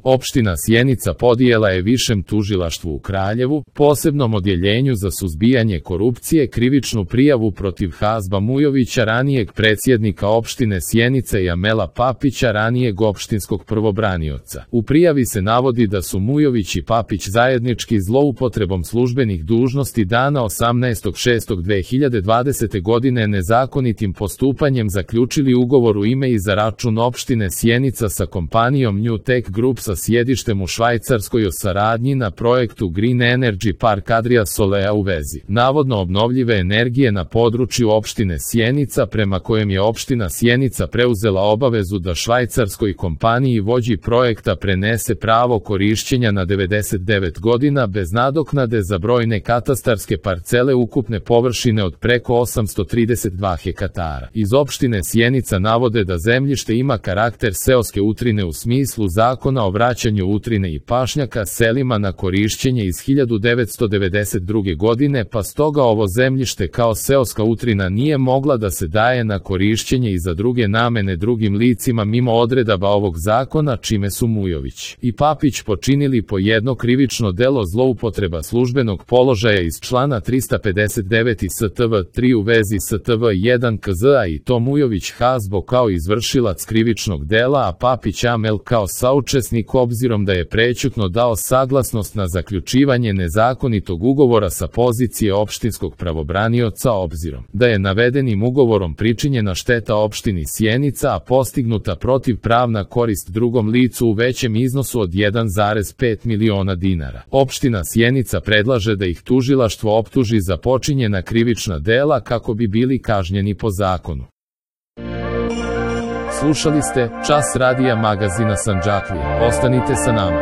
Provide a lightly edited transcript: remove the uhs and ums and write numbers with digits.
Opština Sjenica podnijela je Višem tužilaštvu u Kraljevu, posebnom odjeljenju za suzbijanje korupcije, krivičnu prijavu protiv Hazba Mujovića, ranijeg predsjednika opštine Sjenica, i Amela Papića, ranijeg opštinskog prvobranioca. U prijavi se navodi da su Mujović i Papić zajednički zloupotrebom službenih dužnosti dana 18.6.2020. godine nezakonitim postupanjem zaključili ugovor u ime i za račun opštine Sjenica sa kompanijom New Tech Group sa sjedištem u Švajcarskoj o saradnji na projektu Green Energy Park Adria Solea u vezi navodno obnovljive energije na području opštine Sjenica, prema kojem je opština Sjenica preuzela obavezu da švajcarskoj kompaniji vođi projekta prenese pravo korišćenja na 99 godina bez nadoknade za brojne katastarske parcele ukupne površine od preko 832 hektara. Iz opštine Sjenica navode da zemljište ima karakter seoske utrine u smislu Zakona o vraćanju utrine i pašnjaka selima na korišćenje iz 1992. godine, pa stoga ovo zemljište kao seoska utrina nije mogla da se daje na korišćenje i za druge namene drugim licima mimo odredaba ovog zakona, čime su Mujović i Papić počinili po jedno krivično delo zloupotreba službenog položaja iz člana 359 STV 3 u vezi STV 1 KZ-a, i to Mujović Hazbo kao izvršilac krivičnog dela, a Papić Amel kao saučesnik, obzirom da je prećutno dao saglasnost na zaključivanje nezakonitog ugovora sa pozicije opštinskog pravobranioca, obzirom da je navedenim ugovorom pričinjena šteta opštini Sjenica, a postignuta protivpravna korist drugom licu u većem iznosu od 1,5 miliona dinara. Opština Sjenica predlaže da ih tužilaštvo optuži za počinjena krivična dela kako bi bili kažnjeni po zakonu. Slušali ste Čas radija magazina Sandžaklija. Ostanite sa nama.